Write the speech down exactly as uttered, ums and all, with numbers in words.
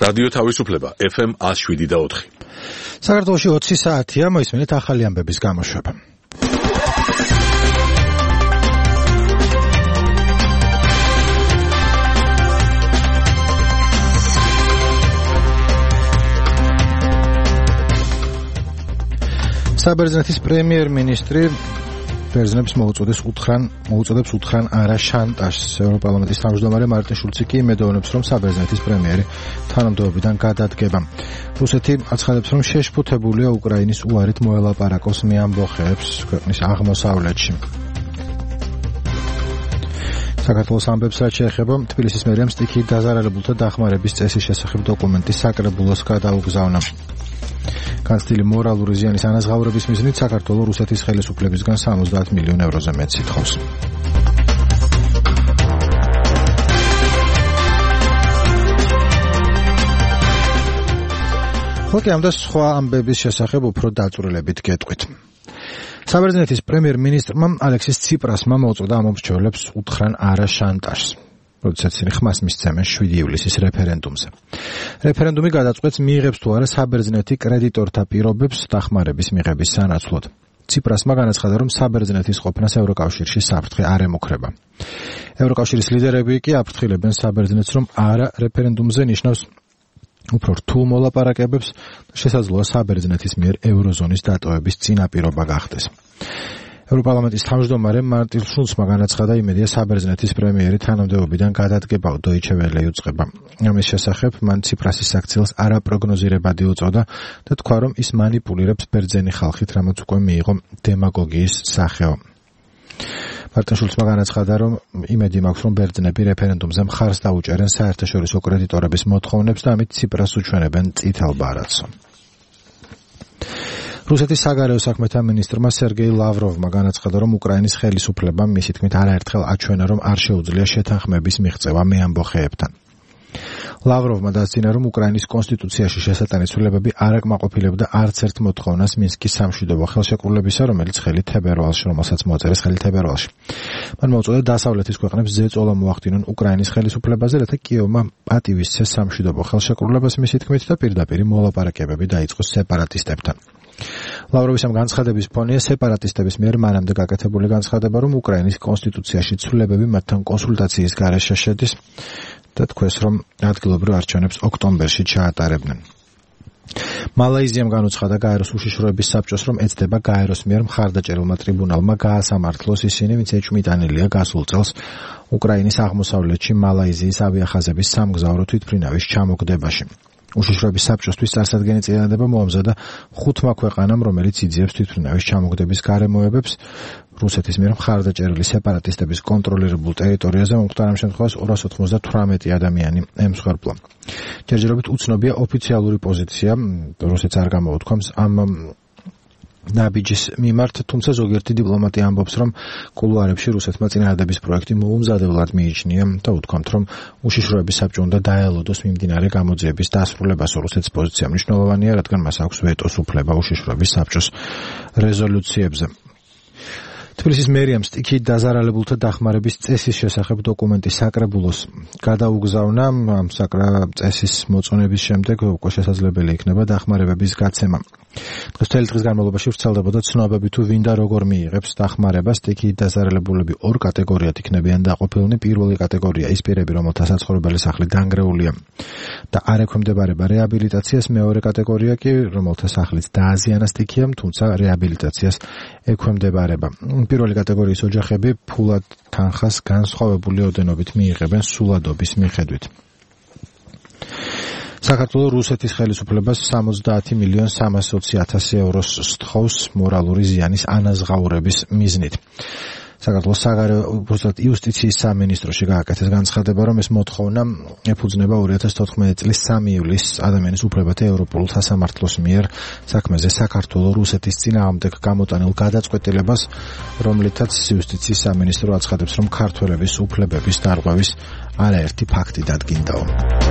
რადიო თავისუფლება ეფ ემ ათს შვიდი და ოთხი. საქართველოში ოცი საათია, მოისმენთ ახალი ამბების გამოშვება. საბერძნეთის პრემიერ-მინისტრი ბერძნებს მოუწოდებს უთხრან მოუწოდებს უთხრან არა შანტაჟს. ევროპარლამენტის თავმჯდომარე მარტინ შულცი კი იმედოვნებს, რომ საბერძნეთის პრემიერი თანამდებობიდან გადადგება. რუსეთი აცხადებს, რომ შეშფოთებულია უკრაინის უარით მოელაპარაკოს მეამბოხეებს ქვეყნის აღმოსავლეთში. საქართველოს ამბებს რაც შეეხება თბილისის მერიამ სტიქიით დაზარალებულთა დახმარების წესის შესახებ დოკუმენტი საკრებულოს გადაუგზავნა. განცდილი მორალური ზიანის ანაზღაურების მიზნით საქართველო რუსეთის ხელისუფლებისგან სამოცდაათ მილიონ ევროზე მეტს ითხოვს. ხოქი ამ და სხვა ამბების შესახებ უფრო დაწვრილებით გეტყვით. საბერძნეთის პრემიერ-მინისტრმა ალექსის ციპრასმა მოუწოდა ამომრჩევლებს უთხრან არა შანტაჟს. როდესაც ხმას მისცემენ შვიდი ივლისის რეფერენდუმზე. რეფერენდუმი გადაწყვეტს მიიღებს თუ არა საბერძნეთი კრედიტორთა პირობებს დახმარების მიღების სანაცვლოდ. ციპრასმა განაცხადა, რომ საბერძნეთის ყოფნას ევროკავშირში საფრთხე არ ემუქრება. ევროკავშირის ლიდერები კი აფრთხილებენ საბერძნეთს, რომ არა რეფერენდუმზე ნიშნავს უფრო რთულ მოლაპარაკებებს და შესაძლოა საბერძნეთის მიერ ევროზონის დატოვების წინაპირობა გახდეს. ევროპარლამენტის თავმჯდომარე მარტინ შულცმა განაცხადა, იმედია საბერძნეთის პრემიერი თანამდებობიდან გადადგება. დოიჩე ველე იუწყება. ამის შესახებ მან ციპრასის საქციელს არაპროგნოზირებადი უწოდა და თქვა, რომ ის მანიპულირებს ბერძენი ხალხით, რამაც უკვე მიიღო დემაგოგიის სახეო. მარტინ შულცმა განაცხადა, რომ იმედი მაქვს, რომ ბერძნები რეფერენდუმზე მხარს დაუჭერენ საერთაშორისო კრედიტორების მოთხოვნებს და ამით ციპრას უჩვენებენ წითელ ბარათს. რუსეთის საგარეო საქმეთა მინისტრმა სერგეი ლავროვმა განაცხადა, რომ უკრაინის ხელისუფლებამ მისი თქმით არაერთხელ აჩვენა, რომ არ შეუძლია შეთანხმების მიღწევა მეამბოხეებთან. ლავროვმა დასძინა, რომ უკრაინის კონსტიტუციაში შესატანი ცვლილებები არ აკმაყოფილებდა არც ერთ მოთხოვნას მინსკის სამშვიდობო ხელშეკრულებისა, რომელიც ხელი თებერვალში, რომელსაც მოაწერეს ხელი თებერვალში. მან მოუწოდა დასავლეთის ქვეყნებს ზეწოლა მოახდინონ უკრაინის ხელისუფლებაზე, რათა კიევმა პატივისცეს სამშვიდობო ხელშეკრულებას მისი თქმით და პირდაპირ მოლაპარაკებები დაიწყოს სეპარატისტებთან. ლავროვის ამ განცხადების ფონია სეპარატისტების მიერ მანამდე გაკეთებული განცხადება, რომ უკრაინის კონსტიტუციაში ცვლილებები მათთან კონსულტაციის გარეშე შედის და თქვეს, რომ ადგილობრივ არჩევნებს ოქტომბერში ჩაატარებდნენ. მალაიზიამ განუცხადა გაეროს უშიშროების საბჭოს, რომ ეცდება გაეროს მიერ მხარდაჭერილმა ტრიბუნალმა გაასამართლოს ისინი, ვინც ეჭვმიტანილია გასულ წელს უკრაინის აღმოსავლეთში მალაიზიის ავიახაზების სამგზავრო თვითმფრინავის ჩამოგდებაში. უშიშროების საბჭოსთვის წარსადგენი წინადადება მოამზადა ხუთმა ქვეყანამ, რომელიც იძიებს თვითმფრინავის ჩამოგდების გარემოებებს რუსეთის მიერ მხარდაჭერილი სეპარატისტების კონტროლირებულ ტერიტორიაზე მომხდარ ამ შემთხვევაში ორას ოცდათვრამეტი ადამიანი ემსხვერპლა. ჯერჯერობით უცნობია ოფიციალური პოზიცია, რუსეთს არ გამოუთქვამს ამ ნაბიჯის მიმართ, თუმცა ზოგიერთი დიპლომატი ამბობს, რომ კულუარებში რუსეთმა წინადადების პროექტი მოუმზადებლად მიიჩნია და უთქვამთ, რომ უშიშროების საბჭო უნდა დაელოდოს მიმდინარე გამოძიების დასრულებას. რუსეთის პოზიცია მნიშვნელოვანია, რადგან მას აქვს ვეტოს უფლება უშიშროების საბჭოს რეზოლუციებზე. თბილისის მერიამ სტიქიით დაზარალებულთა დახმარების წესის შესახებ დოკუმენტი საკრებულოს გადაუგზავნა. ამ საკრა წესის მოწონების შემდეგ უკვე შესაძლებელი იქნება დახმარებების გაცემა. დღესდღეობით დღის განმავლობაში ვრცელდებოდა ცნობები თუ ვინ და როგორ მიიღებს დახმარებას. სტიქიით დაზარალებულები ორ კატეგორიად იქნებიან დაყოფილნი. პირველი კატეგორია ის პირები, რომელთა საცხოვრებელი სახლი დანგრეულია და არ ექვემდებარება რეაბილიტაციას. მეორე კატეგორია კი, რომელთა სახლიც დააზიანა სტიქიამ, თუმცა რეაბილიტაციას ექვემდებარება. პირველი კატეგორიის ოჯახები ფულად თანხას განსხვავებული ოდენობით მიიღებენ სულადობის მიხედვით. საქართველოს რუსეთის ხელისუფლებას სამოცდაათი მილიონ სამასი ოცი ათასი ევროს სთხოვს მორალური ზიანის ანაზღაურების მიზნით. საქართველოს საგარეო იუსტიციის სამინისტროში გააკეთეს განცხადება, რომ ეს მოთხოვნა ეფუძნება ორი ათას თოთხმეტი წლის სამი ივლისს ადამიანის უფლებათა ევროპულ სასამართლოს მიერ საქმეზე საქართველოს რუსეთის წინააღმდეგ გამოტანილ გადაწყვეტილებას, რომლითაც იუსტიციის სამინისტრო აცხადებს, რომ ქართველების უფლებების დარღვევის არაერთი ფაქტი დადგინდაო.